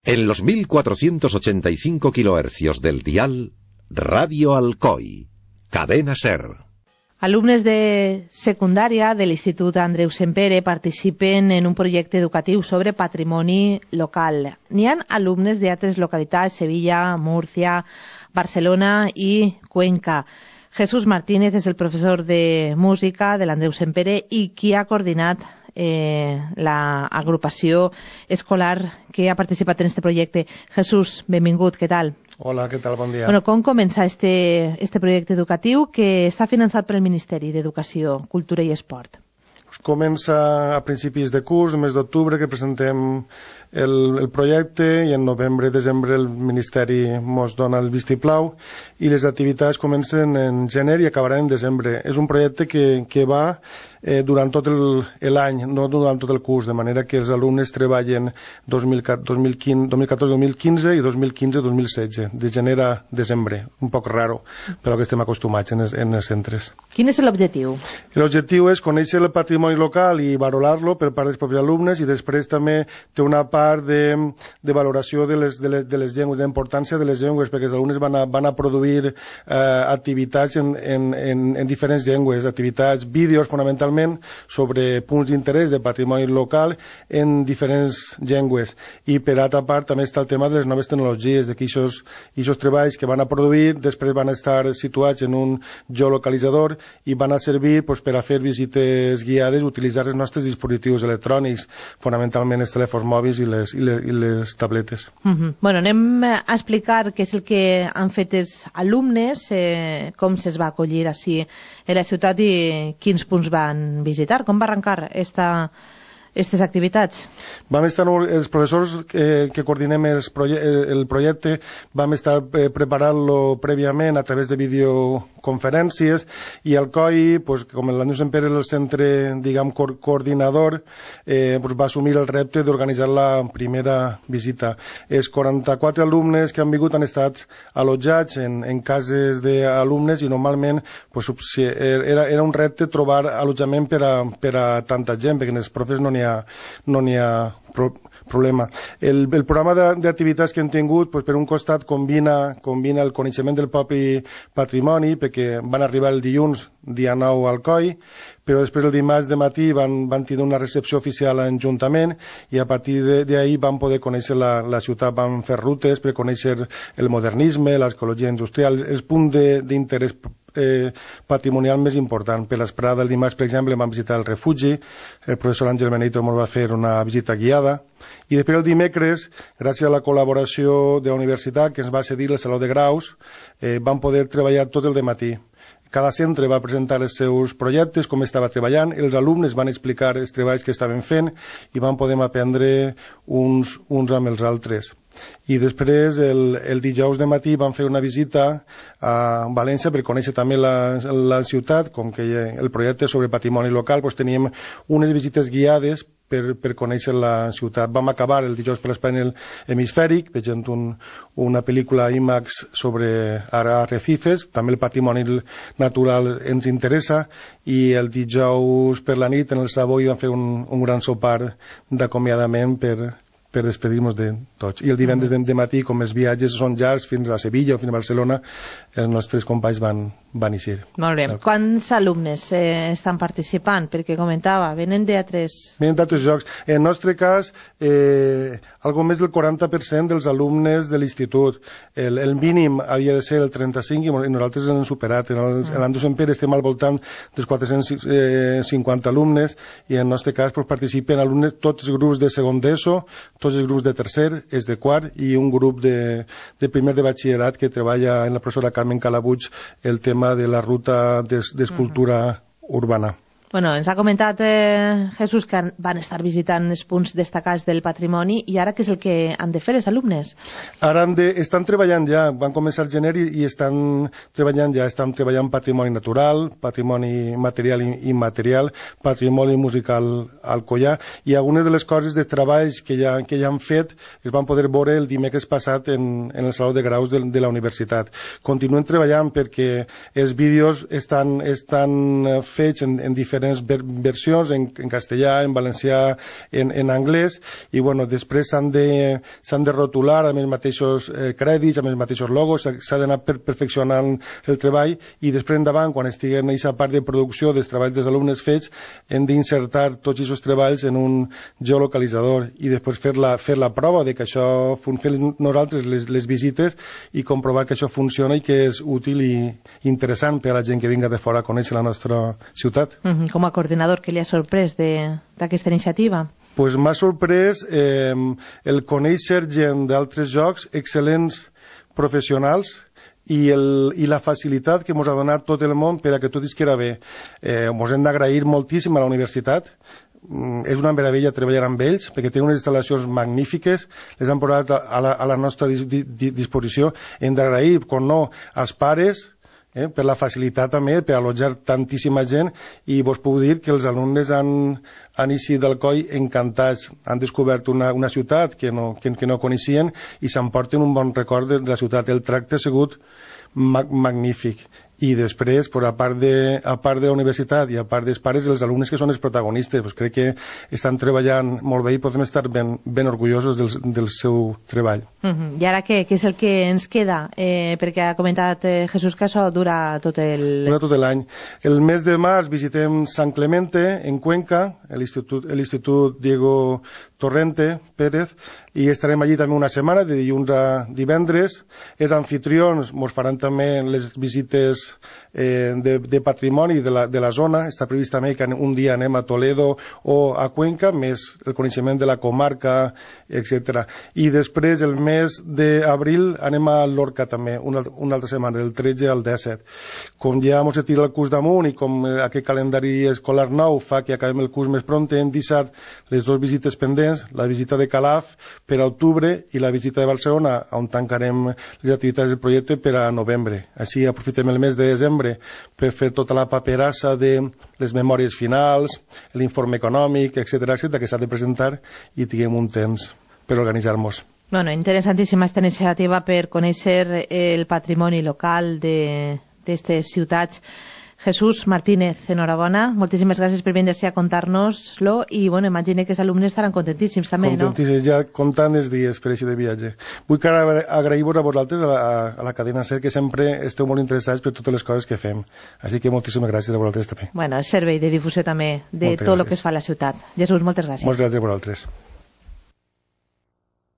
En los 1485 kHz del dial, Radio Alcoi, Cadena Ser. Alumnes de secundària de l'Institut Andreu Sempere participen en un projecte educatiu sobre patrimoni local. N'hi ha alumnes d'altres localitats, Sevilla, Múrcia, Barcelona i Cuenca. Jesús Martínez és el professor de música de l'Andreu Sempere i qui ha coordinat l'agrupació escolar que ha participat en este projecte. Jesús, benvingut, què tal? Hola, què tal? Bon dia. Bueno, com comença este projecte educatiu que està finançat pel Ministeri d'Educació, Cultura i Esport? Comença a principis de curs, el mes d'octubre, que presentem el projecte, i en novembre, desembre el Ministeri ens dona el vistiplau i les activitats comencen en gener i acabaran en desembre. És un projecte que va durant tot l'any, no durant tot el curs, de manera que els alumnes treballen 2014-2015 i 2015-2016, de gener a desembre, un poc raro, però que estem acostumats en els centres. Quin és l'objectiu? L'objectiu és conèixer el patrimoni local i valorar-lo per part dels propis alumnes, i després també té una part de valoració de les llengües, de la importància de les llengües, perquè els alumnes van a produir activitats en diferents llengües, activitats, vídeos fonamentalment, sobre punts d'interès de patrimoni local en diferents llengües. I per altra part també està el tema de les noves tecnologies, de que aquests treballs que van a produir després van a estar situats en un geolocalitzador i van a servir per a fer visites guiades, utilitzar els nostres dispositius electrònics, fonamentalment els telèfons mòbils i les tabletes. Bueno, anem a explicar què és el que han fet els alumnes, com se'ls va acollir així a la ciutat i quins punts van visitar. Com va arrencar aquestes activitats? Vam estar, els professors que coordinem el projecte, vam estar preparant-lo prèviament a través de videoconferències, i el COI, com l'Andreu Sempere és el centre, diguem, coordinador, va assumir el repte d'organitzar la primera visita. Els 44 alumnes que han vingut han estat allotjats en cases d'alumnes, i normalment era un repte trobar allotjament per a tanta gent, perquè els profes no n'hi ha problema. El programa d'activitats que hem tingut, per un costat, combina el coneixement del propi patrimoni, perquè van arribar el dilluns, dia 9, al COI, però després el dimarts de matí van tenir una recepció oficial a l'Ajuntament, i a partir d'ahir van poder conèixer la ciutat, van fer rutes per conèixer el modernisme, l'arqueologia industrial, els punts d'interès patrimonial més important. Per l'esprada del dimarts, per exemple, vam visitar el refugi, el professor Àngel Benito ens va fer una visita guiada, i després el dimecres, gràcies a la col·laboració de la universitat que ens va cedir el Saló de Graus, vam poder treballar tot el dematí. Cada centre va presentar els seus projectes, com estava treballant, els alumnes van explicar els treballs que estaven fent i van poder aprendre uns amb els altres. I després, el dijous de matí, vam fer una visita a València per conèixer també la ciutat, com que el projecte sobre patrimoni local, teníem unes visites guiades per conèixer la ciutat. Vam acabar el dijous per l'espai hemisfèric, veient una pel·lícula IMAX sobre arrecifes, també el patrimoni natural ens interessa, i el dijous per la nit, en el Savoy, vam fer un gran sopar d'acomiadament per despedir-nos de tots. I el divendres de matí, com els viatges són llargs fins a Sevilla o fins a Barcelona, els nostres companys van eixir. Molt bé. Quants alumnes estan participant? Perquè comentava, venen d'altres... Venen d'altres jocs. En el nostre cas, algo més del 40% dels alumnes de l'institut. El mínim havia de ser el 35 i nosaltres l'hem superat. En l'Andreu Sempere estem al voltant dels 450 alumnes, i en el nostre cas participen alumnes, tots els grups de segon d'ESO, tots els grups de tercer, és de quart, i un grup de primer de batxillerat que treballa en la professora Carmen Calabuig el tema de la ruta d'escultura urbana. Bueno, ens ha comentat Jesús que van estar visitant els punts destacats del patrimoni, i ara què és el que han de fer els alumnes? Ara estan treballant ja, van començar el gener i estan treballant patrimoni natural, patrimoni material i immaterial, patrimoni musical alcoià, i algunes de les coses de treballs que ja han fet es van poder veure el dimecres passat en el Saló de Graus de la universitat. Continuen treballant perquè els vídeos estan fets en diferents diferents versions, en castellà, en valencià, en anglès, i després s'han de rotular amb els mateixos crèdits, amb els mateixos logos, s'ha d'anar perfeccionant el treball, i després endavant, quan estiguen en aquesta part de producció dels treballs dels alumnes fets, hem d'insertar tots aquests treballs en un geolocalitzador i després fer la prova de que això funciona, nosaltres les visites, i comprovar que això funciona i que és útil i interessant per a la gent que vinga de fora a conèixer la nostra ciutat. Com a coordinador, què li ha sorprès d'aquesta iniciativa? Pues m'ha sorprès el conèixer gent d'altres jocs, excel·lents professionals, i la facilitat que ens ha donat tot el món per a que tot isquera bé. Ens hem d'agrair moltíssim a la universitat. És una meravella treballar amb ells, perquè tenen unes instal·lacions magnífiques, les han posat a la nostra disposició. Hem d'agrair, com no, als pares, per la facilitat també, per allotjar tantíssima gent, i vos puc dir que els alumnes han eixit d'Alcoi encantats, han descobert una ciutat que no coneixien i s'emporten un bon record de la ciutat. El tracte ha sigut magnífic. I després, a part de la universitat i a part dels pares, els alumnes que són els protagonistes, crec que estan treballant molt bé i podem estar ben orgullosos del seu treball. I ara què és el que ens queda? Perquè ha comentat Jesús que això dura tot l'any. El mes de març visitem Sant Clemente, en Cuenca, l'Institut Diego Torrente Pérez, i estarem allí també una setmana, de dilluns a divendres. Els anfitrions ens faran també les visites de patrimoni de la zona. Està previst també que un dia anem a Toledo o a Cuenca, més el coneixement de la comarca, etc. I després, el mes d'abril, anem a Lorca també, una altra setmana, del 13 al 17. Com ja ens tira el curs damunt i com aquest calendari escolar nou fa que acabem el curs més pront, hem deixat les dues visites pendents, la visita de Calaf per a octubre i la visita de Barcelona, on tancarem les activitats del projecte per a novembre. Així aprofitem el mes de desembre per fer tota la paperassa de les memòries finals, l'informe econòmic, etc., que s'ha de presentar, i tinguem un temps per organitzar-nos. Interessantíssima aquesta iniciativa per conèixer el patrimoni local d'aquestes ciutats. Jesús Martínez, enhorabona, moltíssimes gràcies per vindre a contar-nos-lo, i imagino que els alumnes estaran contentíssims també, no? Contentíssims, ja comptant els dies per així de viatge. Vull agrair-vos a vosaltres, a la cadena SER, que sempre esteu molt interessats per totes les coses que fem. Així que moltíssimes gràcies a vosaltres també. El servei de difusió també de tot el que es fa a la ciutat. Jesús, moltes gràcies. Moltes gràcies a vosaltres.